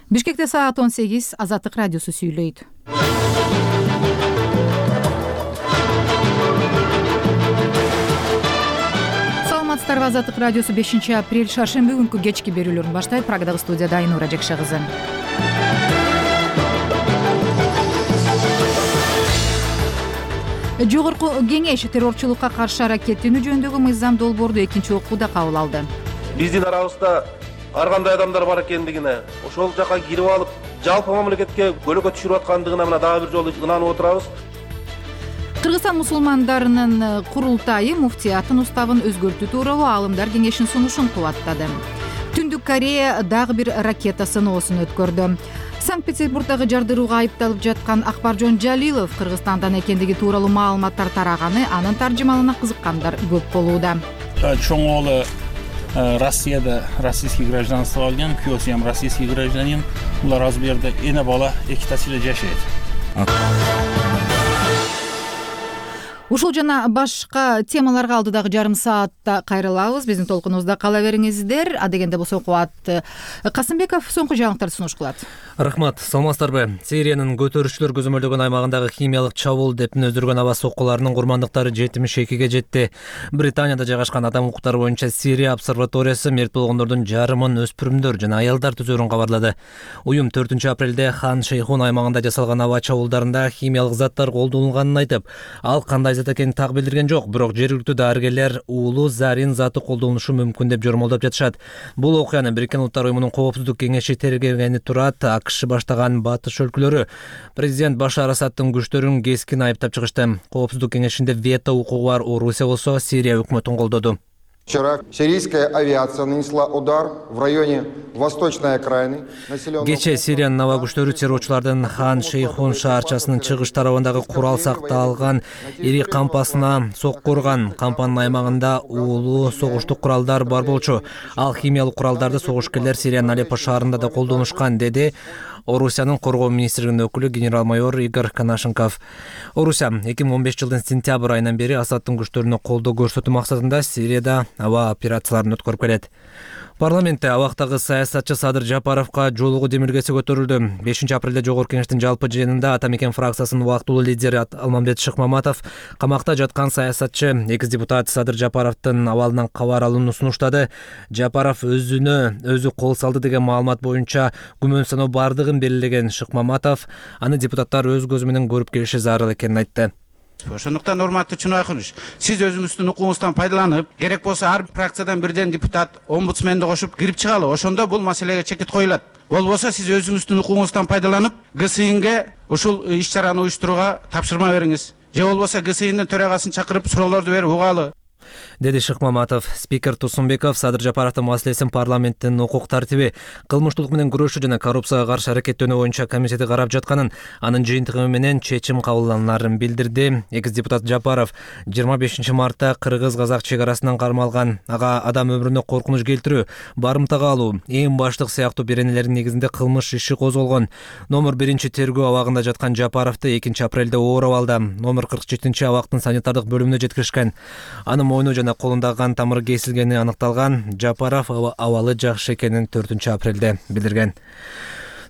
Бишкекте саат 18 Азаттык радиосу сүйлөйт. Саламатсыздарбы, Азаттык радиосу 5-апрель шаршемби күнкү кечки берүүлөрүн баштайт. Прагдагы студияда Айнура Жекше кызы. Жогорку кеңеш террорчулукка каршы аракеттенүү жөнүндөгү мыйзам долбоорду экинчи окууда кабыл алды. Биздин арабызда ар кандай адамдар бар экендигине, ошол жака кирип алып, жалпы мамлекетке көлөкө түшүрүп аткандыгына мына дагы бир жолу ынанып отурабыз. Кыргызстан мусулмандарынын курултайы муфтиятын уставын өзгөртүү тууралуу аалымдар кеңешинин сунушун кубаттады. Түндүк Корея дагы бир ракета сыноосун өткөрдү. Санкт-Петербургдагы жардырууга айыпталып жаткан Акбаржон Жалилов Кыргызстандан экендиги тууралуу маалыматтар тараганы, анын таржымалына кызыккандар көп болууда. Чоң оолу Россияда российский гражданство алган, күйөөсү ham российский гражданин. Булар азыр бу жерде эне бала эки тасыйла жашайт. Ушул жана башка темаларга алдыдагы жарым саатта кайрылабыз. Биздин толкунубузда кала бериңиздер. Адегенде болсо Кубат Касымбеков соңку жаңылыктарды сунуш кылат. Рахмат, саламатсыздарбы? Сириянын көтөрүүчүлөр көзөмөлдөгөн аймагындагы химиялык чабуул деп өздүргөн аба соккуларынын курмандыктары 72-ге жетти. Британияда жайгашкан адам укуктары боюнча Сирия обсерваториясы мерт болгондордун жарымын өспүрүмдөр жана аялдар түзөрүн кабарлады. Уюм 4-апрелде Хан Шейхун аймагында жасалган аба чабуулдарында химиялык заттар колдонулганын айтып, ал кандай зат экенин так билдирген жок, бирок жергиликтүү дарыгерлер уулуу зарин заты колдонулушу мүмкүн деп жормолдоп жатышат. Бул окуяны Бириккен Улуттар уюмунун коопсуздук кеңеши тергегени турат. АКШ баштаган батыш өлкөлөрү президент Башар Асадтын күчтөрүн кескин айыптап чыгышты. Коопсуздук кеңешинде вето укугу бар Орусия болсо Сирия өкмөтүн колдоду. Вчера сирийская авиация нанесла удар в районе восточной окраины населенного. Кече Сириянын аба күчтөрү террорчулардын Хан Шейхун шаарчасынын чыгыш тарабындагы курал сакталган ири кампасына сокку урган. Кампанын аймагында уулуу согуштук куралдар бар болчу. Ал химиялык куралдарды согушкерлер Сириянын Алеппо шаарында да колдонушкан, деди Орусиянын коргоо министрлигинин өкүлү генерал-майор Игорь Конашенков. Орусия 2015 жылдын сентябрь айынан бери Асадтын күчтөрүнө колдоо көрсөтүү максатында Сирияда аба операцияларын өткөрүп келет. Парламентте абактагы саясатчы Садыр Жапаровго жолугуу демилгеси көтөрүлдү. 5-апрелде Жогорку Кеңештин жалпы жыйынында Ата Мекен фракциясынын убактылуу лидери Алмамбет Шыкмаматов камакта жаткан саясатчы экс депутат Садыр Жапаровдун абалынан кабар алууну сунуштады. Жапаров өзү кол салды деген маалымат боюнча күмөн саноо бардыгын белгилеген Шыкмаматов аны депутаттар өз көзү менен көрүп келиши зарыл экенин айтты. Ошондуктан урматтуу Чынайкулович, сиз өзүңүздүн укугуңуздан пайдаланып, керек болсо ар фракциядан бирден депутат омбудсменди кошуп кирип чыгалы. Ошондо бул маселеге чекит коюлат. Болбосо сиз өзүңүздүн укугуңуздан пайдаланып, ГСИНге ушул иш-чараны уюштурууга тапшырма бериңиз. Же болбосо ГСИНдин төрагасын чакырып суроолорду берип угалы, деди Шыкмаматов. Спикер Тусунбеков Садыр Жапаровдун маселесин парламенттин укук тартиби, кылмыштуулук менен күрөшүү жана коррупцияга каршы аракеттенүү боюнча комитети карап жатканын, анын жыйынтыгы менен чечим кабылданарын билдирди. Экс депутат Жапаров 25 мартта кыргыз-казак чек арасынан кармалган, ага адам өмүрүнө коркунуч келтирүү, барымтага алуу, эң баштык сыяктуу беренелердин негизинде кылмыш иши козголгон. Номер 1 тергөө абагында жаткан Жапаровду 2-апрелде ооруп алды. Номер 47 абактын санитардык бөлүмүнө жеткиришкен. Анын мойну жана колундагы кан тамыры кесилгени аныкталган. Жапаров абалы жакшы экенин 4-апрелде билдирген.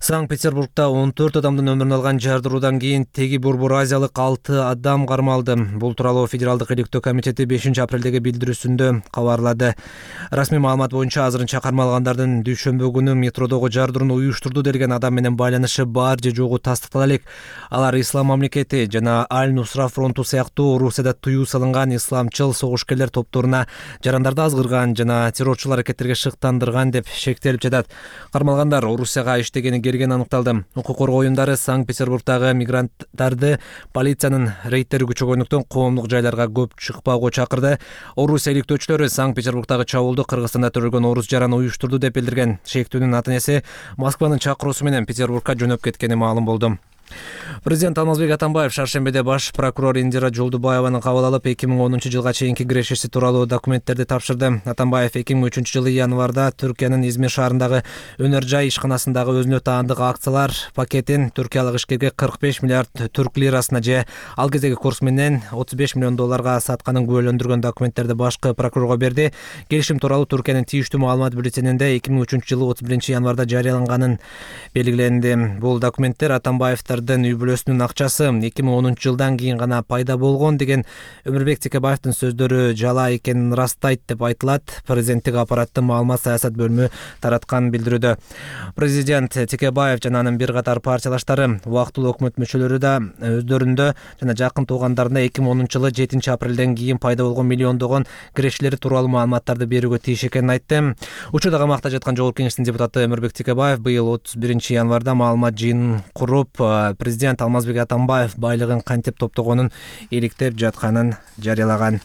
Санкт-Петербургда 14 адамдын өмүрүн алган жардыруудан кийин теги Борбор Азиялык 6 адам кармалды. Бул тууралуу Федералдык иликтөө комитети 5-апрелдеги билдирүүсүндө кабарлады. Расмий маалымат боюнча азырынча кармалгандардын дүйшөмбү күнү метродогу жардырууну уюштурду делген адам менен байланышы бар же жогу тастыктала элек. Алар Ислам мамлекети жана Аль-Нусра фронту сыяктуу Орусияда тыюу салынган исламчыл согушкерлер топторуна жарандарды азгырган жана террорчул аракеттерге шыктандырган деп шектелип жатат. Кармалгандар Орусияга иштегени келгени аныкталды. Укук коргоо уюмдары Санкт-Петербургдагы мигранттарды полициянын рейдтери күчөгөндүктөн коомдук жайларга көп чыкпоого чакырды. Орусия иликтөөчүлөрү Санкт-Петербургдагы чабуулду Кыргызстанда төрөлгөн орус жараны уюштурду деп билдирген. Шектүүнүн ата-энеси Москванын чакыруусу менен Петербургга жөнөп кеткени маалым болду. Президент Алмазбек Атамбаев шаршембиде баш прокурор Индира Жолдубаеваны кабыл алып 2010-жылга чейинки кирешеси тууралуу документтерди тапшырды. Атамбаев 2003-жылы январда Түркиянын Измир шаарындагы өнөр жай ишканасындагы өзүнө таандык акциялар пакетин түркиялык ишкерге 45 миллиард түрк лирасына же ал кездеги курс менен $35 миллион сатканын күбөлөндүргөн документтерди башкы прокурорго берди. Келишим тууралуу Түркиянын тийиштүү маалымат бюллетенинде 2003-жылы 31-январда жарыяланганын белгиленди. Бул документтер Атамбаевдин үй бүлөсүнүн акчасы 2010-жылдан кийин гана пайда болгон деген Өмүрбек Текебаевдин сөздөрү жала экенин ырастайт деп айтылат. Президенттик аппараттын маалымат саясат бөлүмү тараткан билдирүүдө. Президент Текебаев жана анын бир катар партиялаштары убактылуу өкмөт мүчөлөрү да өздөрүндө жана жакын туугандарына 2010-жылы 7-апрелден кийин пайда болгон миллиондогон кирешелери тууралуу маалыматтарды берүүгө тийиш экенин айтты. Учурда камакта жаткан Жогорку Кеңештин депутаты Өмүрбек Текебаев быйыл 31-январда маалымат жыйынын куруп, президент Алмазбек Атамбаев байлыгын кантип топтогонун иликтеп жатканын жарыялаган.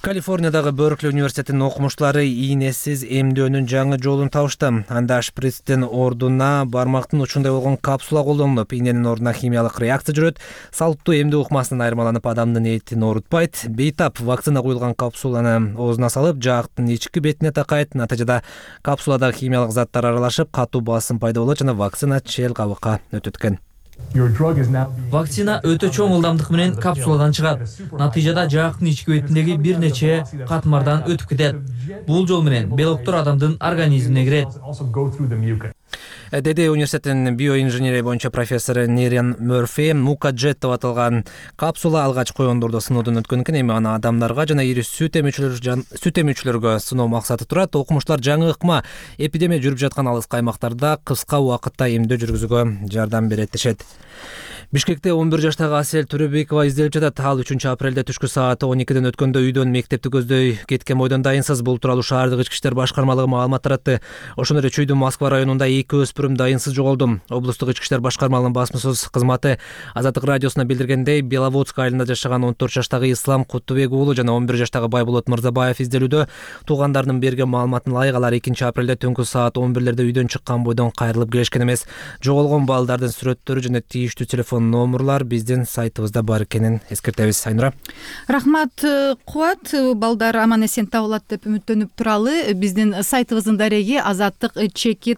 Калифорниядагы Беркли университетинин окумуштуулары ийнесиз эмдөөнүн жаңы жолун табышты. Анда шприцтин ордуна бармактын учундай болгон капсула колдонулуп, ийненин ордуна химиялык реакция жүрөт. Салттуу эмдөө ыкмасынан айырмаланып, адамдын этин оорутпайт. Бейтап вакцина куюлган капсуланы оозуна салып, жаактын ички бетине такайт. Натыйжада капсуладагы химиялык заттар аралашып, катуу басым пайда болот жана вакцина чел кабыкка өтөт экен. Вакцина өтө чоң ылдамдык менен капсуладан чыгат. Натыйжада жаактын ички бетиндеги бир нече катмардан өтүп кетет. Бул жол менен белоктор адамдын организмине кирет. Деди университетинин биоинженерия боюнча профессору Нерен Мёрфи. Мукаджет деп аталган капсула алгач коендордо сыноодон өткөн экен. Эми аны адамдарга жана ири сүт эмүүчүлөргө сыноо максаты турат. Окумуштуулар жаңы ыкма эпидемия жүрүп жаткан алыскы аймактарда кыска убакытта эмдөө жүргүзүүгө жардам берет дешет. Бишкекте 11 жаштагы Асель Төрөбекова изделип жатат. Ал 3-апрелде түшкү саат 12ден өткөндө үйдөн мектепти көздөй кеткен бойдон дайынсыз. Бул тууралуу шаардык ички иштер башкармалыгы маалымат таратты. Ошондой эле Чүйдүн Москва районунда 2 өспүрүм дайынсыз жоголду. Облустук ички иштер башкармалыгынын басмасөз кызматы Азаттык радиосуна билдиргендей, Беловодск айылында жашаган 14 жаштагы Ислам Куттубек уулу жана 11 жаштагы Байболот Мырзабаев изделүүдө. Туугандарынын берген маалыматына ылайык алар 2-апрелде түнкү саат 11лерде үйдөн чыккан бойдон кайрылып келишкен эмес. Жоголгон балдардын сүрөттөрү жана тийиштүү телефон номерлар биздин сайтыбызда бар экенин эскертебиз. Айнура. Рахмат Кубат. Балдар аман эсен табылат деп үмүттөнүп туралы. Биздин сайтыбыздын дареги azattik.org.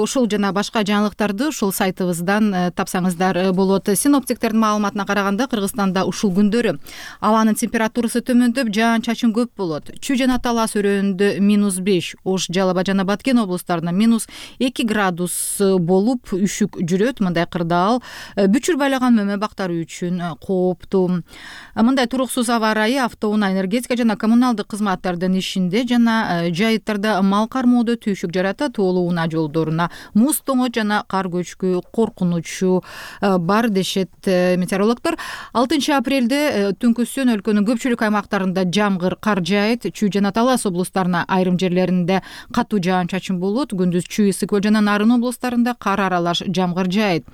Ушул жана башка жаңылыктарды ушул сайтыбыздан тапсаңыздар болот. Синоптиктердин маалыматына караганда Кыргызстанда ушул күндөрү абанын температурасы төмөндөп, жаан-чачын көп болот. Чүй жана Талас өрөөнүндө -5, Ош, Жалал Абад жана Баткен облустарында -2 градус болуп, үшүк жүрөт. Мындай кырдаал бүчүр байлаган мөмө бактары үчүн кооптуу. Мындай туруксуз аба ырайы автоунаа, энергетика жана коммуналдык кызматтардын ишинде жана жайыттарда мал кармоодо түйшүк жаратат. Улуу унаа жолдоруна муз тоңот жана кар көчкү коркунучу бар дешет метеорологдор. 6-апрелде түнкүсүн өлкөнүн көпчүлүк аймактарында жамгыр, кар жаайт. Чүй жана Талас облустарына айрым жерлеринде катуу жаан-чачын болот. Күндүз Чүй, Ысык Көл жана Нарын облустарында кар аралаш жамгыр жаайт.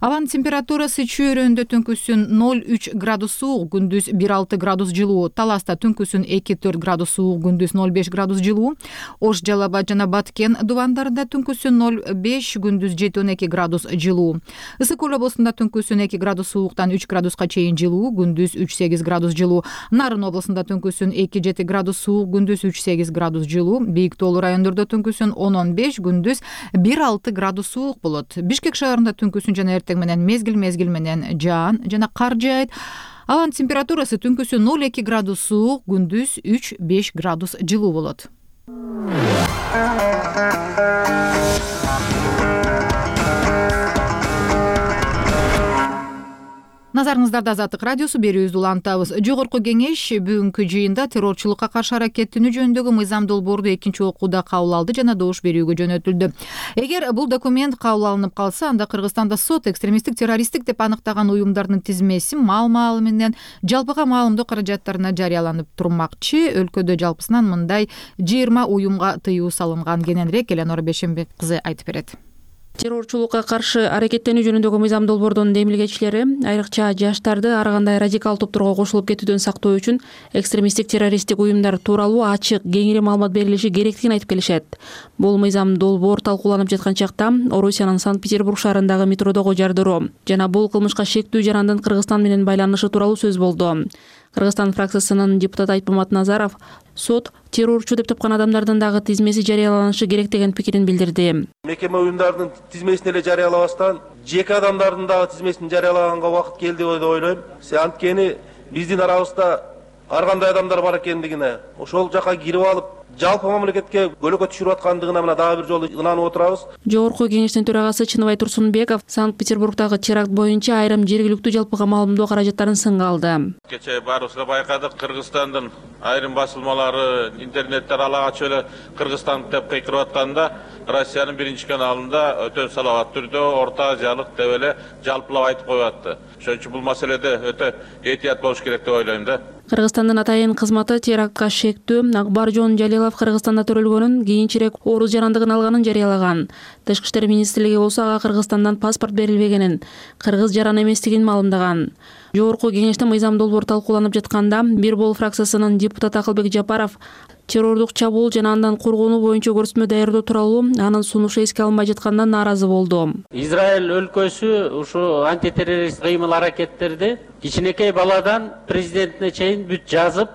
Абанын температурасы Чүй өрөөнүндө түнкүсүн 0,3 градус суук, күндүз 1,6 градус жылуу. Таласта түнкүсүн 2,4 градус суук, күндүз 0,5 градус жылуу. Ош, Жалал Абад жана Баткен дубандарында түнкүсүн 0,5, күндүз 7,2 градус жылуу. Ысык Көл облусунда түнкүсүн 2 градус сууктан 3 градуска чейин жылуу, күндүз 3,8 градус жылуу. Нарын облусунда түнкүсүн 2,7 градус суук, күндүз 3,8 градус жылуу. Бийик тоолуу райондордо түнкүсүн 10,15, күндүз 1,6 градус суук болот. Бишкек шаарында түнкүсүн жана эртең менен мезгил менен жаан жана кар жаайт. Абанын температурасы түнкүсүн 0,2 градус суук, күндүз 3,5 градус жылуу болот. Назарыңыздарда Азаттык радиосу, берүүбүздү улантабыз. Жогорку Кеңеш бүгүнкү жыйында террорчулукка каршы аракеттенүү жөнүндөгү мыйзам долбоорду экинчи окууда кабыл алды жана добуш берүүгө жөнөтүлдү. Эгер бул документ кабыл алынып калса, анда Кыргызстанда сот экстремисттик, террористтик деп аныктаган уюмдардын тизмеси маал-маалы менен жалпыга маалымдоо каражаттарына жарыяланып турмакчы. Өлкөдө жалпысынан мындай 20 уюмга тыюу салынган. Кененирээк Эленора Бешенбек кызы айтып берет. Террорчулукка каршы аракеттенүү жөнүндөгү мыйзам долбоордун демилгечилери айрыкча жаштарды ар кандай радикал топторго кошулуп кетүүдөн сактоо үчүн экстремисттик террористтик уюмдар тууралуу ачык кеңири маалымат берилиши керектигин айтып келишет. Бул мыйзам долбоор талкууланып жаткан чакта Орусиянын Санкт-Петербург шаарындагы метродогу жардыруу жана бул кылмышка шектүү жарандын Кыргызстан менен байланышы тууралуу сөз болду. Кыргызстан фракциясынын депутаты Айтмамат Назаров сот террорчу деп тапкан адамдардын дагы тизмеси жарыяланышы керек деген пикирин билдирди. Мекеме уюмдардын тизмесин эле жарыялабастан жеке адамдардын дагы тизмесин жарыялаганга убакыт келди деп ойлойм. Анткени биздин арабызда ар кандай адамдар бар экендигине, ошол жака кирип алып жалпы мамлекетке көлөкө түшүрүп аткандыгына мына дагы бир жолу ынанып отурабыз. Жогорку кеңештин төрагасы Чыныбай Турсунбеков Санкт-Петербургдагы теракт боюнча айрым жергиликтүү жалпыга маалымдоо каражаттарын сынга алды. Кечээ баарыбызга байкадык, Кыргызстандын айрым басылмалары интернеттер ала качып эле Кыргызстан деп кыйкырып атканда Россиянын биринчи каналында өтө салават түрдө Орто Азиялык деп эле жалпылап айтып коюп атты. Ошон үчүн бул маселеде өтө этият болуш керек деп ойлойм да. Кыргызстандын атайын кызматы терактка шектүү Акбаржон Жалилов Кыргызстанда төрөлгөнүн, кийинчерээк орус жарандыгын алганын жарыялаган. Тышкы иштер министрлиги болсо ага Кыргызстандан паспорт берилбегенин, кыргыз жаран эместигин маалымдаган. Жогорку кеңеште мыйзам долбоор талкууланып жатканда Бир Бол фракциясынын депутаты Акылбек Жапаров террордук чабуул жана андан коргонуу боюнча көрсөтмө даярдоо тууралуу анын сунушу эске алынбай жаткандан нааразы болду. Израиль өлкөсү ушу антитеррорист кыймыл аракеттерди кичинекей баладан президентине чейин бүт жазып,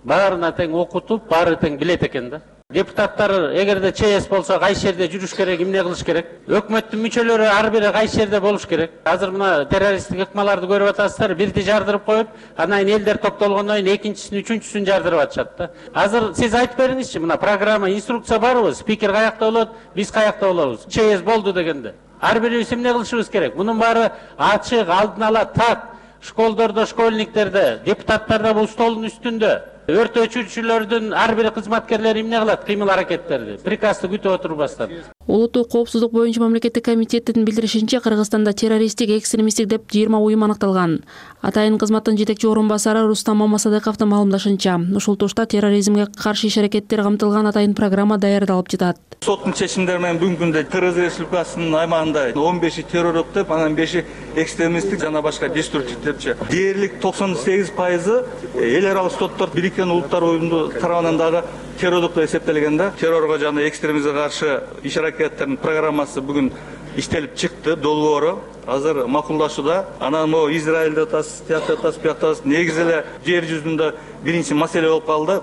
баарына тең окутуп, баары тең билет экен да. Депутаттар эгерде ЧС болсо кайсы жерде жүрүш керек, эмне кылыш керек? Өкмөттүн мүчөлөрү ар бири кайсы жерде болуш керек? Азыр мына террористтик ыкмаларды көрүп атасыздар, бирди жардырып коюп, анан элдер топтолгондон кийин экинчисин, үчүнчүсүн жардырып атышат да. Азыр сиз айтып бериңизчи, мына программа, инструкция барбы? Спикер каякта болот, биз каякта болобуз? ЧС болду дегенде. Ар бирибиз эмне кылышыбыз керек? Мунун баары ачык, алдын ала так. Школдордо, школьниктерде, депутаттарда бул столдун үстүндө. Өрт өчүрүүчүлөрдүн ар бир кызматкерлери эмне кылат? Кыймыл аракеттерди. Приказды күтүп отурбастан. Улуттук коопсуздук боюнча мамлекеттик комитеттин билдиришинче, Кыргызстанда террористтик, экстремисттик деп 20 уюм аныкталган. Атайын кызматтын жетекчи орун басары Рустам Мамасадыковдун маалымдашынча, ушул тушта терроризмге каршы иш аракеттер камтылган атайын программа даярдалып жатат. Соттун чечимдери менен бүгүнкү күндө Кыргыз Республикасынын аймагында 15 террорлук деп, анан 5 экстремисттик жана башка деструктив депчи. Дээрлик 98% эл аралык соттор Бириккен Улуттар Уюму тарабынан дагы террорлук деп эсептелген да. Террорго жана экстремизмге каршы иш аракеттердин программасы бүгүн иштелип чыкты, долбоору азыр макулдашууда. Анан могу Израилде атасыз, тиякта атасыз, биякта негизи эле жер жүзүндө биринчи маселе болуп калды.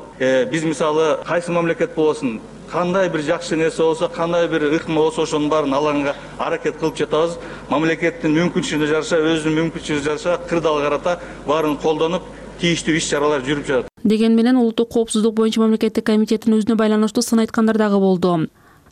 Биз мисалы кайсы мамлекет болсун, кандай бир жакшы нерсе болсо, кандай бир ыкма болсо, ошонун баарын алганга аракет кылып жатабыз. Мамлекеттин мүмкүнчүлүгүнө жараша, өзүнүн мүмкүнчүлүгүнө жараша кырдаал карата баарын колдонуп, тийиштүү иш-чаралар жүрүп жатат. Деген менен улуттук коопсуздук боюнча мамлекеттик комитеттин өзүнө байланыштуу сын айткандар дагы болду.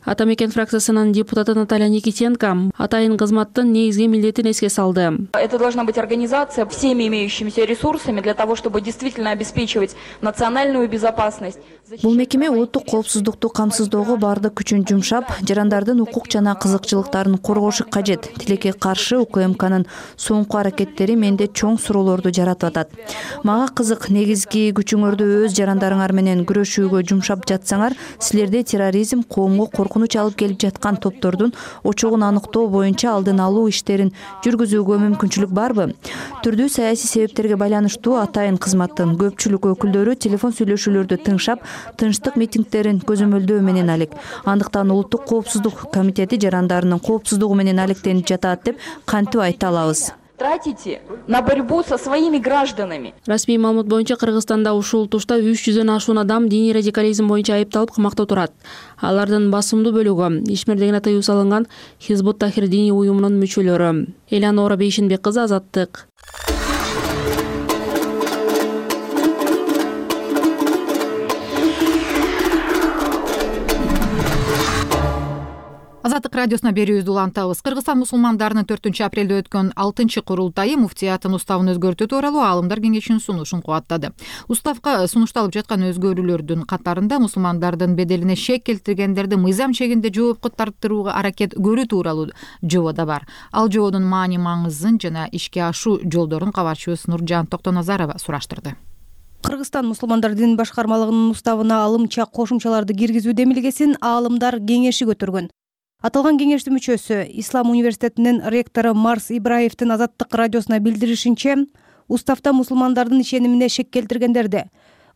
Атамекен фракциясынын депутаты Наталья Никитенко атайын кызматтын негизги милдетин эске салды. Это должна быть организация всеми имеющимися ресурсами для того, чтобы действительно обеспечивать национальную безопасность. Бул мекеме улуттук коопсуздукту камсыздоого бардык күчүн жумшап, жарандардын укук жана кызыкчылыктарын коргошу кажет. Тилекке каршы УКМКнын соңку аракеттери менде чоң суроолорду жаратып атат. Мага кызык, негизги күчүңөрдү өз жарандарыңар менен күрөшүүгө жумшап жатсаңар, силерде терроризм, коомго коркунуч алып келип жаткан топтордун очогун аныктоо боюнча алдын алуу иштерин жүргүзүүгө мүмкүнчүлүк барбы? Түрдүү саясий себептерге байланыштуу атайын кызматтын көпчүлүк өкүлдөрү телефон сүйлөшүүлөрдү тыңшап, тынчтык митингдерин көзөмөлдөө менен алек. Андыктан улуттук коопсуздук комитети жарандарынын коопсуздугу менен алектенип жатат деп кантип айта алабыз? Тратите на борьбу со своими гражданами. Расмий маалымат боюнча Кыргызстанда ушул тушта 300дөн ашуун адам диний радикализм боюнча айыпталып камакта турат. Алардын басымдуу бөлүгү ишмердигине тыюу салынган Хизбут Тахир диний уюмунун мүчөлөрү. Элянора Бейшинбек кызы, Азаттык. Азаттык радиосуна берүүбүздү улантабыз. Кыргызстан мусулмандарынын 4-апрелде өткөн 6-курултайы муфтияттын уставын өзгөртүү тууралуу аалымдар кеңешинин сунушун кубаттады. Уставга сунушталып жаткан өзгөрүүлөрдүн катарында мусулмандардын беделине шек келтиргендерди мыйзам чегинде жоопко тартырууга аракет көрүү тууралуу жобо да бар. Ал жобонун маани маңызын жана ишке ашуу жолдорун кабарчыбыз Нуржан Токтоназарова сураштырды. Кыргызстан мусулмандар дин башкармалыгынын уставына алымча кошумчаларды киргизүү демилгесин аалымдар кеңеши көтөргөн. Аталган кеңештин мүчөсү, Ислам университетинин ректору Марс Ибраевдин Азаттык радиосуна билдиришинче, уставда мусулмандардын ишенимине шек келтиргендерди.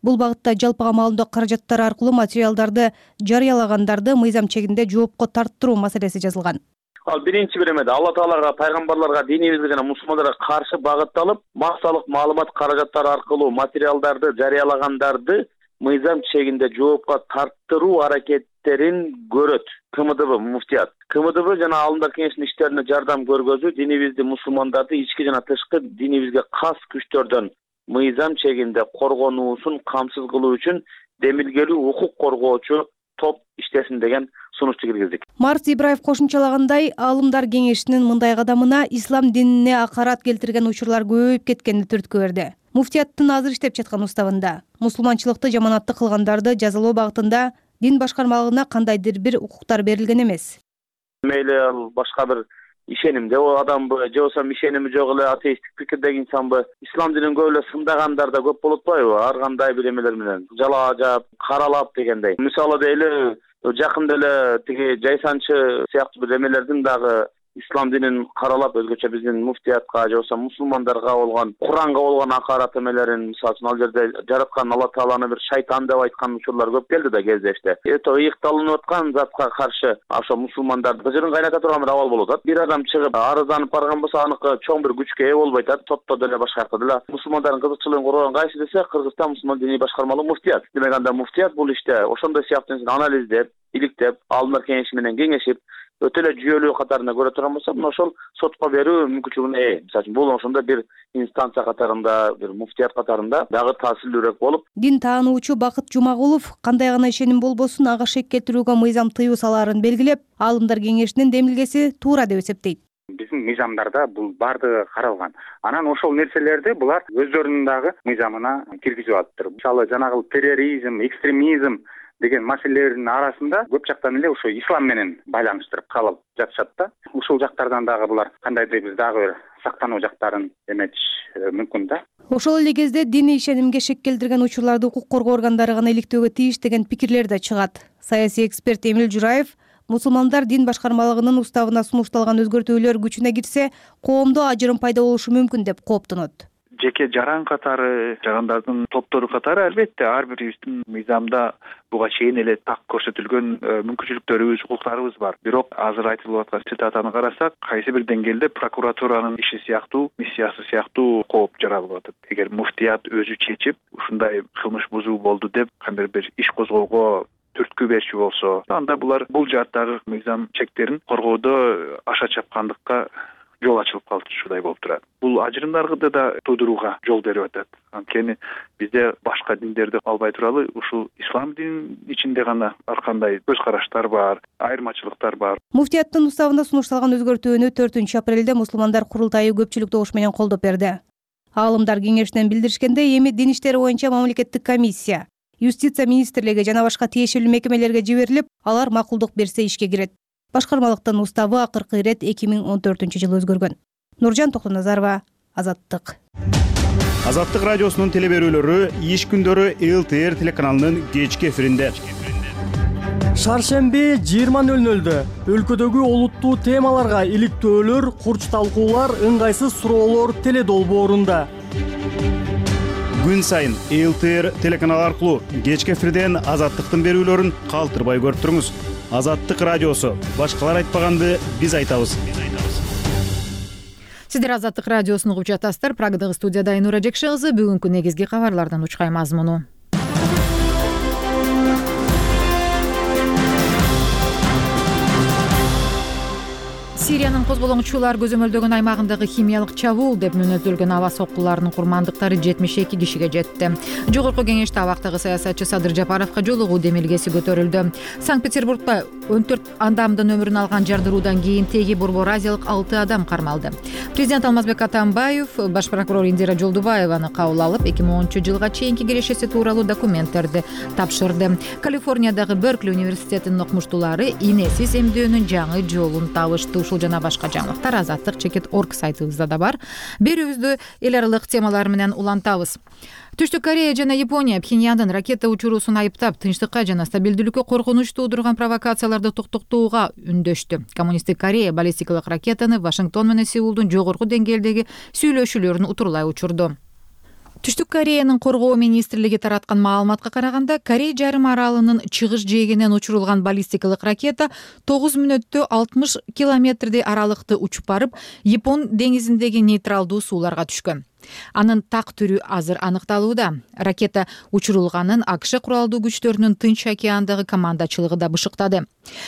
Бул багытта жалпыга маалымдоо каражаттары аркылуу материалдарды жарыялагандарды мыйзам чегинде жоопко тарттыруу маселеси жазылган. Ал биринчи беремеде Алла Таалага, пайгамбарларга, динибизге жана мусулмандарга каршы багытталып, массалык маалымат каражаттары аркылуу материалдарды жарыялагандарды мыйзам чегинде жоопко тарттыруу аракеттерин көрөт КМДБ муфтият. КМДБ жана Аалымдар кеңешинин иштерине жардам көргөзүү динибизди, мусулмандарды ички жана тышкы динибизге кас күчтөрдөн мыйзам чегинде коргонуусун камсыз кылуу үчүн демилгелүү укук коргоочу топ иштесин деген сунушту киргиздик. Марс Ибраев кошумчалагандай, Аалымдар кеңешинин мындай кадамына ислам динине акарат келтирген учурлар көбөйүп кеткенин түрткү берди. Муфтияттын азыр иштеп жаткан уставында мусулманчылыкты жаманаттык кылгандарды жазалоо багытында дин башкармалыгына кандайдыр бир укуктар берилген эмес. Мейли ал башка бир ишенимде адамбы, же болбосо ишеними жок эле атеисттик пикирдеги инсанбы, ислам динин көп эле сындагандар да көп болуп атпайбы? Ар кандай бир эмелер менен жалаа жаап, каралап дегендей. Мисалы дейли, жакында эле тиги жайсанчы сыяктуу бир эмелердин дагы ислам динин каралап өзгөчө биздин муфтиятка же болбосо мусулмандарга болгон, Куранга болгон акарат эмелерин, мисалы үчүн ал жерде жараткан Алла Тааланы бир шайтан деп айткан учурлар көп келди да кездешти. Ыйыкталынып аткан затка каршы ошо мусулмандарды быжырын кайната турган бир абал болуп атат. Бир адам чыгып арызданып барган болсо, аныкы чоң бир күчкө ээ болбой атат. Сотто деле башка жакта деле мусулмандардын кызыкчылыгын коргогон кайсы десе, Кыргызстан мусулман диний башкармалыгы муфтият. Демек анда муфтият бул иште ошондой сыяктуу анализдеп, иликтеп, Аалымдар кеңеши менен кеңешип, өтө эле жүйөлүү катарында көрө турган болсо, ошол сотко берүү мүмкүнчүлүгүнө ээ. Мисалы үчүн бул ошондо бир инстанция катарында, бир муфтият катарында дагы таасирлүүрөөк болуп. Дин таануучу Бакыт Жумагулов кандай гана ишеним болбосун ага шек келтирүүгө мыйзам тыюу салаарын белгилеп, Аалымдар кеңешинин демилгеси туура деп эсептейт. Биздин мыйзамдарда бул баардыгы каралган. Анан ошол нерселерди булар өздөрүнүн дагы мыйзамына киргизип атыптыр. Мисалы жанагы терроризм, экстремизм деген маселелердин арасында көп жактан эле ошо ислам менен байланыштырып калып жатышат да. Ушул жактардан дагы булар кандайдыр бир дагы бир сактануу жактарын эметиш мүмкүн да. Ошол эле кезде диний ишенимге шек келтирген учурларды укук коргоо органдары гана иликтөөгө тийиш деген пикирлер да чыгат. Саясий эксперт Эмил Жураев мусулмандар дин башкармалыгынын уставына сунушталган өзгөртүүлөр күчүнө кирсе, коомдо ажырым пайда болушу мүмкүн деп кооптонот. Жеке жаран катары, жарандардын топтору катары албетте ар бирибиздин мыйзамда буга чейин эле так көрсөтүлгөн мүмкүнчүлүктөрүбүз, укуктарыбыз бар. Бирок азыр айтылып аткан цитатаны карасак, кайсы бир деңгээлде прокуратуранын иши сыяктуу, миссиясы сыяктуу кооп жаралып атат. Эгер муфтият өзү чечип, ушундай кылмыш бузуу болду деп кандайдыр бир иш козгоого түрткү берчү болсо, анда булар бул жааттагы мыйзам чектерин коргоодо аша чапкандыкка жол ачылып калышуудай болуп турат. Бул ажырымдарды да туудурууга жол берип атат. Анткени бизде башка диндерди албай туралы ушул ислам дининин ичинде гана ар кандай көз караштар бар, айырмачылыктар бар. Муфтияттын уставына сунушталган өзгөртүүнү 4-апрелде мусулмандар курултайы көпчүлүк добуш менен колдоп берди. Аалымдар кеңешинен билдиришкендей, эми дин иштери боюнча мамлекеттик комиссия, юстиция министрлиги жана башка тиешелүү мекемелерге жиберилип, алар макулдук берсе ишке кирет. Башкармалыктын уставы акыркы ирет 2014-жылы өзгөргөн. Нуржан Токтоназарова, Азаттык. Азаттык радиосунун телеберүүлөрү иш күндөрү ЛТР телеканалынын кечки эфиринде. Шаршемби 20:00 өлкөдөгү олуттуу темаларга иликтөөлөр, курч талкуулар, ыңгайсыз суроолор теле долбоорунда. Күн сайын ЛТР телеканалы аркылуу кечки эфирден Азаттыктын берүүлөрүн калтырбай көрүп туруңуз. Азаттык радиосу. Башкалар айтпаганды биз айтабыз. Сиздер Азаттык радиосун угуп жатасыздар. Прагадагы студияда Айнура Жекше кызы. Бүгүнкү негизги кабарлардан учкай мазмуну. Сириянын козголоңчулар көзөмөлдөгөн аймагындагы химиялык чабуул деп мүнөздөлгөн аба соккуларынын курмандыктары 72 кишиге жетти. Жогорку кеңеште абактагы саясатчы Садыр Жапаровго жолугуу демилгеси көтөрүлдү. Санкт-Петербургда 14 адамдын өмүрүн алган жардыруудан кийин теги Борбор Азиялык 6 адам кармалды. Президент Алмазбек Атамбаев баш прокурор Индира Жолдубаеваны кабыл алып, 2010-жылга чейинки кирешеси тууралуу документтерди тапшырды. Калифорниядагы Беркли университетинин окумуштуулары инесиз эмдөөнүн жаңы жолун табышты. Ушул жана башка жаңылыктар azatlyk.org сайтыбызда да бар. Берүүбүздү эл аралык темалар менен улантабыз. Түштүк Корея жана Япония Пхеньяндын ракета учуруусун айыптап, тынчтыкка жана стабилдүүлүккө коркунуч туудурган провокацияларды токтотууга үндөштү. Коммунисттик Корея баллистикалык ракетаны Вашингтон менен Сеулдун жогорку деңгээлдеги сүйлөшүүлөрүн утурлай учурду. Түштүк Кореянын коргоо министрлиги тараткан маалыматка караганда, Корей жарым аралынын чыгыш жээгинен учурулган баллистикалык ракета 9 мүнөттө 60 километрдей аралыкты учуп барып, Япон деңизиндеги нейтралдуу сууларга түшкөн. Анын так түрү азыр аныкталууда. Ракета учурулганын АКШ куралдуу күчтөрүнүн Тынч океандагы командачылыгы да бышыктады.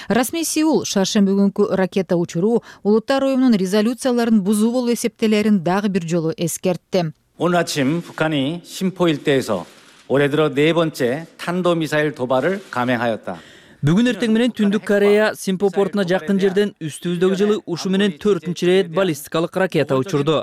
Расмий Сеул шаршемби күнкү ракета учуруу Улуттар уюмунун резолюцияларын бузуу болуп эсептелерин дагы бир жолу эскертти. 오늘 아침 북한이 심포 일대에서 올해 들어 네 번째 탄도미사일 도발을 감행하였다. Бүгүн эртең менен Түндүк Корея Симпо портуна жакын жерден үстүбүздөгү жылы ушу менен 4-нчи рет баллистикалык ракета учурду.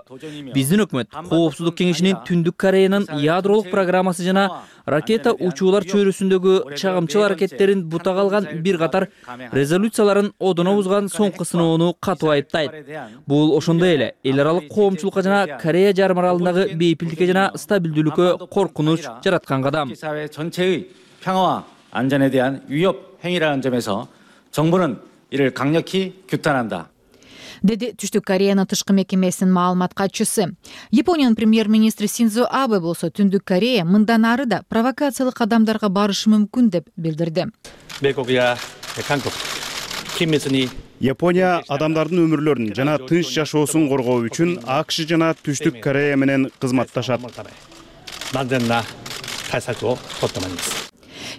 Биздин өкмөт Коопсуздук кеңешинин Түндүк Кореянын ядролук программасы жана ракета учуулар чөйрөсүндөгү чагымчыл аракеттерин бутага алган бир катар резолюцияларын одоно бузган соңку сыноону катуу айыптайт. Бул ошондой эле эл аралык коомчулукка жана Корея жарым аралындагы бейпилдикке жана стабилдүүлүккө коркунуч жараткан кадам. 평화와 안전에 대한 위협 행위라는 점에서 정부는 이를 강력히 규탄한다. Деди Түштүк Кореянын тышкы мекемесинин маалымат катчысы. Япониянын премьер-министри Синдзо Абе болсо Түндүк Корея мындан ары да провокациялык кадамдарга барышы мүмкүн деп билдирди. Япония адамдардын өмүрлөрүн жана тынч жашоосун коргоо үчүн АКШ жана Түштүк Корея менен кызматташат.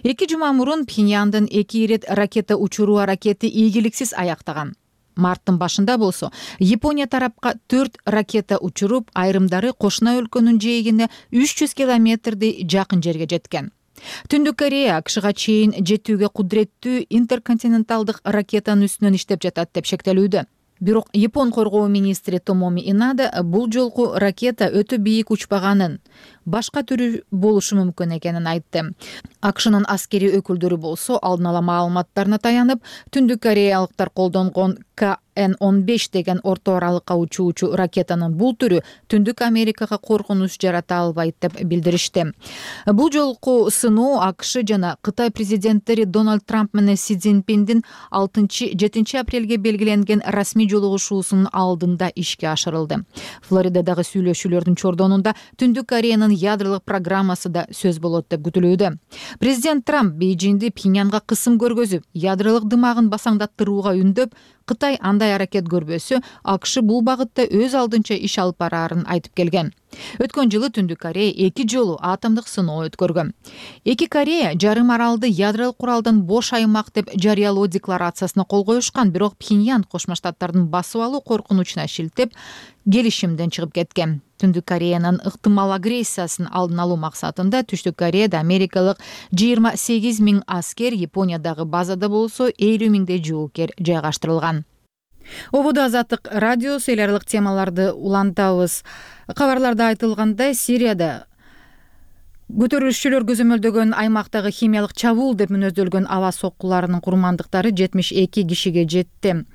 2 жума мурун Пхеньяндын 2 ирет ракета учуруу аракети ийгиликсиз аяктаган. Марттын башында болсо Япония тарапка 4 ракета учуруп, айрымдары кошуна өлкөнүн жээгине 300 километрдей жакын жерге жеткен. Түндүк Корея АКШга чейин жетүүгө кудуреттүү интерконтиненталдык ракетанын үстүнөн иштеп жатат деп шектелүүдө. Бирок Япон коргоо министри Томоми Инада бул жолку ракета өтө бийик учпаганын, башка түрү болушу мүмкүн экенин айтты. АКШнын аскери өкүлдөрү болсо алдын ала маалыматтарына таянып, Түндүк Кореялыктар колдонгон KN-15 деген орто аралыкка учуучу ракетанын бул түрү Түндүк Америкага коркунуч жарата албайт деп билдиришти. Бул жолку сыноо АКШ жана Кытай президенттери Дональд Трамп менен Си Цзиньпиндин 6-7 апрелге белгиленген расмий жолугушуусунун алдында ишке ашырылды. Флоридадагы сүйлөшүүлөрдүн чордонунда Түндүк Кореянын ядролук программасы да сөз болот деп күтүлүүдө. Президент Трамп Бейжиңди Пхеньянга кысым көргөзүп, ядролук дымагын басаңдаттырууга үндөп, Кытай андай аракет көрбөсө, АКШ бул багытта өз алдынча иш алып бараарын айтып келген. Өткөн жылы Түндүк Корея 2 жолу атомдук сыноо өткөргөн. 2 Корея жарым аралды ядролук куралдан бош аймак деп жарыялоо декларациясына кол коюшкан, бирок Пхеньян Кошмо Штаттардын басып алуу коркунучуна шилтеп, келишимден чыгып кеткен. Түндүк Кореянын ыктымал агрессиясын алдын алуу максатында Түштүк Кореяда америкалык 28 000 аскер, Япониядагы базада болсо 50 000дей жоокер жайгаштырылган. Ободо Азаттык радиосу эл аралык темаларды улантабыз. Кабарларда айтылгандай, Сирияда көтөрүлүшчүлөр көзөмөлдөгөн аймактагы химиялык чабуул деп мүнөздөлгөн аба соккуларынын курмандыктары 72 кишиге жетти.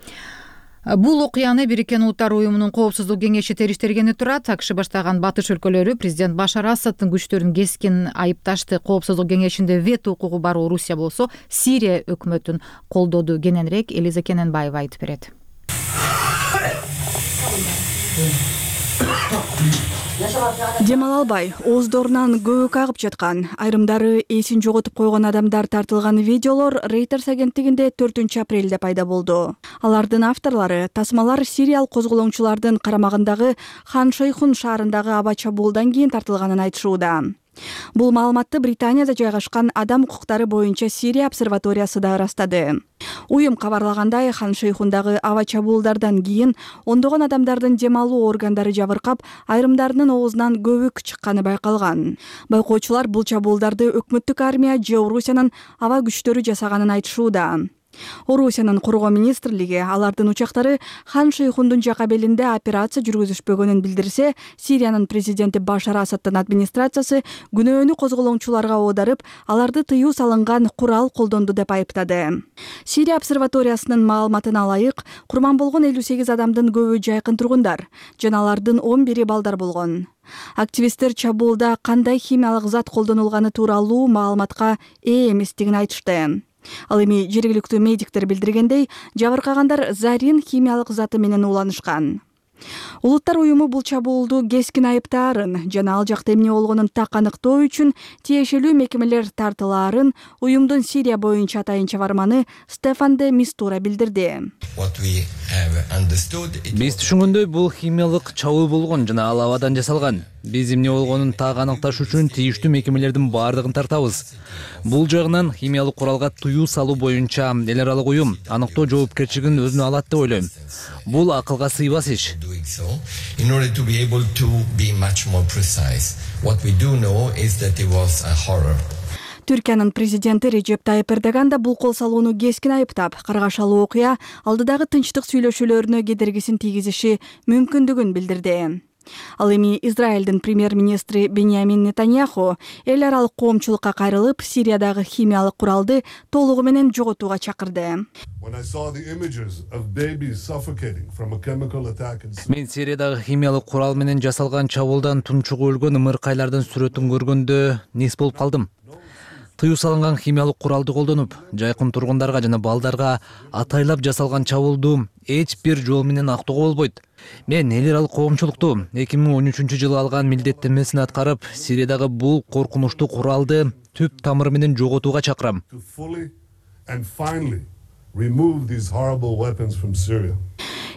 Бул окуяны Бириккен Улуттар уюмунун Коопсуздук кеңеши териштергени турат. АКШ баштаган батыш өлкөлөрү президент Башар Асадтын күчтөрүн кескин айыпташты. Коопсуздук кеңешинде вето укугу бар Орусия болсо Сирия өкмөтүн колдоду. Кененирээк Элиза Кененбаева айтып берет. Демал албай, ооздорунан көбүк агып жаткан, айрымдары эсин жоготуп койгон адамдар тартылган видеолор Reuters агенттигинде 4-апрелде пайда болду. Алардын авторлору тасмалар сириялык козголоңчулардын карамагындагы Хан Шейхун шаарындагы аба чабуулдан кийин тартылганын айтышууда. Бул маалыматты Британияда жайгашкан адам укуктары боюнча Сирия обсерваториясы да ырастады. Уюм кабарлагандай, Хан Шейхундагы аба чабуулдардан кийин ондогон адамдардын дем алуу органдары жабыркап, айрымдарынын оозунан көбүк чыкканы байкалган. Байкоочулар бул чабуулдарды өкмөттүк армия же Орусиянын аба күчтөрү жасаганын айтышууда. Орусиянын коргоо министрлиги алардын учактары Хан Шейхундун жакабелинде операция жүргүзүшпөгөнүн билдирсе, Сириянын президенти Башар Асаддын администрациясы күнөөнү козголоочуларга оодарып, аларды тыюу салынган курал колдонду деп айыптады. Сирия обсерваториясынын маалыматына ылайык, курман болгон 58 адамдын көбү жайкын тургундар, жана алардын 11 балдар болгон. Активисттер чабуулда кандай химиялык зат колдонулганы тууралуу маалыматка ээ эместигин айтышты. Ал эми жергиликтүү медиктер билдиргендей, жабыркагандар зарин химиялык заты менен ууланышкан. Улуттар уюму бул чабуулду кескин айыптаарын жана ал жакта эмне болгонун так аныктоо үчүн тиешелүү мекемелер тартылаарын уюмдун Сирия боюнча атайын чабарманы Стефан де Мистура билдирди. Биз түшүнгөндөй бул химиялык чабуу болгон жана ал абадан жасалган. Биз эмне болгонун так аныкташ үчүн тийиштүү мекемелердин баардыгын тартабыз. Бул жагынан химиялык куралга тыюу салуу боюнча эл аралык уюм аныктоо жоопкерчилигин өзүнө алат деп ойлойм. Бул акылга сыйбас иш. Түркиянын президенти Режеп Тайып Эрдоган да бул кол салууну кескин айыптап, каргашалуу окуя алдыдагы тынчтык сүйлөшүүлөрүнө кедергисин тийгизиши мүмкүндүгүн билдирди. Ал эми Израилдин премьер-министри Беньямин Нетаньяху эл аралык коомчулукка кайрылып, Сириядагы химиялык куралды толугу менен жоготууга чакырды. Мен Сириядагы химиялык курал менен жасалган чабуулдан тунчугу өлгөн ымыркайлардын сүрөтүн көргөндө нес болуп калдым. Тыюу салынган химиялык куралды колдонуп, жайкын тургундарга жана балдарга атайлап жасалган чабуулду эч бир жол менен актоого болбойт. Мен эл аралык коомчулукту 2013-жылы алган милдеттенмесин аткарып, Сириядагы бул коркунучтуу куралды түп тамыры менен жоготууга чакырам.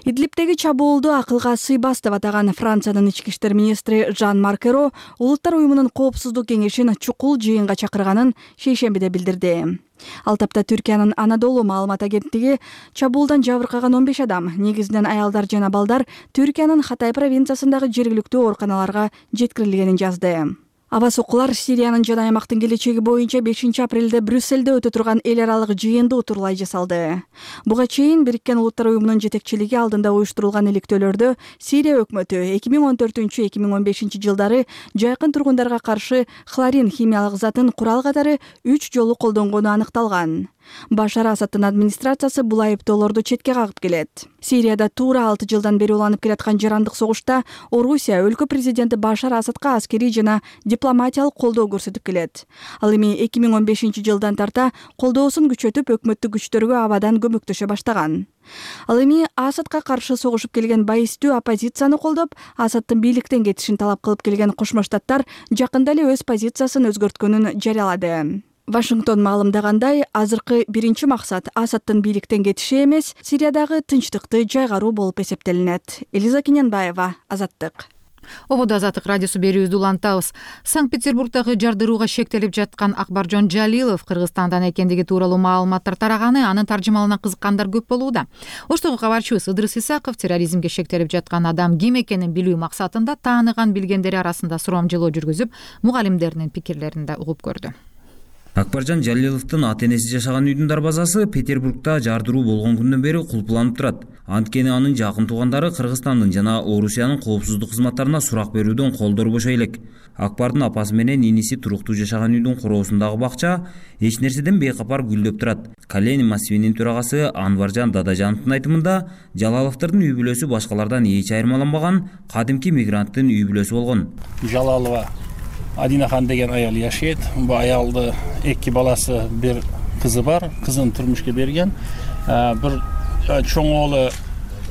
Идлибтеги чабуулду акылга сыйбас деп атаган Франциянын ички иштер министри Жан-Марк Эро Улуттар уюмунун коопсуздук кеңешин чукул жыйынга чакырганын шейшембиде билдирди. Ал тапта Түркиянын Анадолу маалымат агенттиги чабуулдан жабыркаган 15 адам, негизинен аялдар жана балдар, Түркиянын Хатай провинциясындагы жергиликтүү ооруканаларга жеткирилгенин жазды. Аба сокулар Сириянын жана аймактын келечеги боюнча 5-апрелде Брюсселде өтө турган эл аралык жыйынды утурлай жасалды. Буга чейин Бириккен Улуттар уюмунун жетекчилиги алдында уюштурулган иликтөөлөрдө Сирия өкмөтү 2014-2015 жылдары жайкын тургундарга каршы хлорин химиялык затын курал катары 3 жолу колдонгону аныкталган. Башар Асаддын администрациясы бул айыптоолорду четке кагып келет. Сирияда туура 6 жылдан бери уланып келаткан жарандык согушта Орусия өлкө президенти Башар Асадка аскерий жана дипломатиялык колдоо көрсөтүп келет. Ал эми 2015 жылдан тарта колдоосун күчөтүп, өкмөттүк күчтөргө абадан көмөктөшө баштаган. Ал эми Асадка каршы согушуп келген байыстуу оппозицияны колдоп, Асаддын бийликтен кетишин талап кылып келген Кошмо Штаттар жакында эле өз позициясын өзгөрткөнүн жарыялады. Вашингтон маалымдагандай, азыркы биринчи максат Асаддын бийликтен кетиши эмес, Сириядагы тынчтыкты жайгаруу болуп эсептелинет. Элиза Кененбаева, Азаттык. Ободо Азаттык радиосу берүүбүздү улантабыз. Санкт-Петербургдагы жардырууга шектелип жаткан Акбаржон Жалилов Кыргызстандан экендиги тууралуу маалыматтар тараганы, анын таржымалына кызыккандар көп болууда. Оштогу кабарчыбыз Ыдырыс Исаков терроризмге шектелип жаткан адам ким экенин билүү максатында тааныган билгендери арасында сурамжылоо жүргүзүп, мугалимдеринин пикирлерин да угуп көрдү. Акбаржон Жалиловдун ата-энеси жашаган үйдүн дарбазасы Петербургда жардыруу болгон күндөн бери кулпуланып турат. Анткени анын жакын туугандары Кыргызстандын жана Орусиянын коопсуздук кызматтарына сурак берүүдөн колдору бошой элек. Акбардын апасы менен иниси туруктуу жашаган үйдүн короосундагы бакча эч нерседен бейкапар гүлдөп турат. Калени массивинин төрагасы Анваржан Дадажановдун айтымында, Жалаловдордун үй бүлөсү башкалардан эч айырмаланбаган кадимки мигранттын үй бүлөсү болгон. Жалалова Адинахан деген аял жашайт. Бул аялды 2 баласы, 1 кызы бар. Кызын турмушка берген. Бир чоң оğlu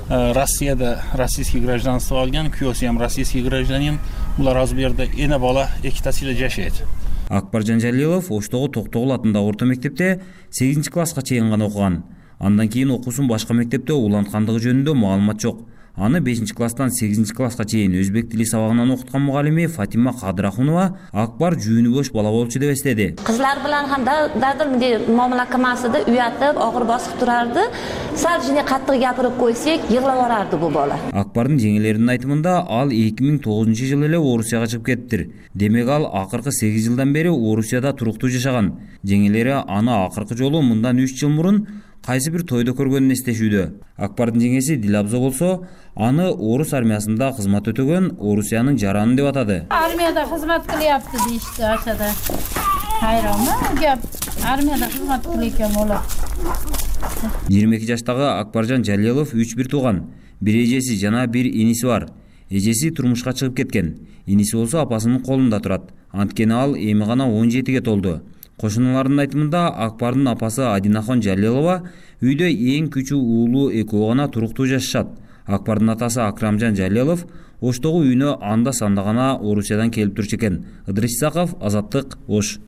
Россияда российский гражданство алган, күйөөсү ham российский гражданин. Булар азыр бу жерде эне бала 2 тасыйла жашайт. Акбаржон Жалилов Оштогу Токтогул атындагы орто мектепте 8-класска чейин гана окуган. Андан кийин окуусун башка мектепте уланткандыгы жөнүндө маалымат жок. Аны 5-класстан 8-класска чейин өзбек тили сабагынан окуткан мугалими Фатима Кадырахунова Акбар жүүнү бош бала болчу деп эстеди. Кызлар менен ham dadil muomala qilmasida uyatib, og'ir bosib turardi. Sal jine qattiq gapirib qo'ysak, yig'lab yuborardi bu bola. Акбардын жеңелеринин айтымында, ал 2009-жылы эле Орусияга чыгып кеттир. Демек ал акыркы 8 жылдан бери Орусияда туруктуу жашаган. Жеңелери аны акыркы жолу мындан 3 жыл мурун кайсы бир тойдо көргөнүн эстешүүдө. Акбардын жеңеси Дилабзо болсо аны орус армиясында кызмат өтөгөн Орусиянын жараны деп атады. Армияда кызмат кылыпты дейишти ачада. Кайрама кеп армияда кызмат кылып экен болот. 22 жаштагы Акбаржан Жалилов 3 бир тууган, бир эжеси жана бир иниси бар. Эжеси турмушка чыгып кеткен. Иниси болсо апасынын колунда турат. Анткени ал эми гана 17-ге толду. Кошуналардын айтымында Акбардын апасы Адинахон Жалилова үйдө эң күчүү уулу экөө гана туруктуу жашашат. Акбардын атасы Акрамжан Жалилов Оштогу үйүнө анда-санда гана Орусиядан келип турчу экен. Ыдырыс Исаков, Азаттык, Ош.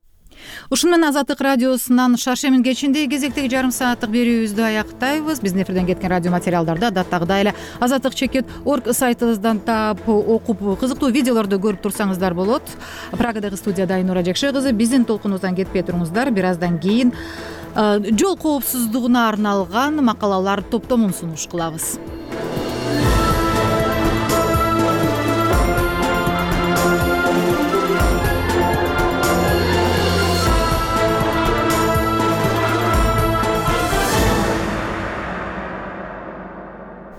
Ушуну менен Азаттык радиосунан Шаршемин кечинде кезектеги жарым сааттык берүүбүздү аяктайбыз. Биздин эфирден кеткен радио материалдарды адаттагыдай эле azattik.org сайтыбыздан таап, окуп, кызыктуу видеолорду көрүп турсаңыздар болот. Прагадагы студияда Айнура Жекше кызы. Биздин толкунубуздан кетпей туруңуздар. Бир аздан кийин жол коопсуздугуна арналган макалалар топтомун сунуш кылабыз.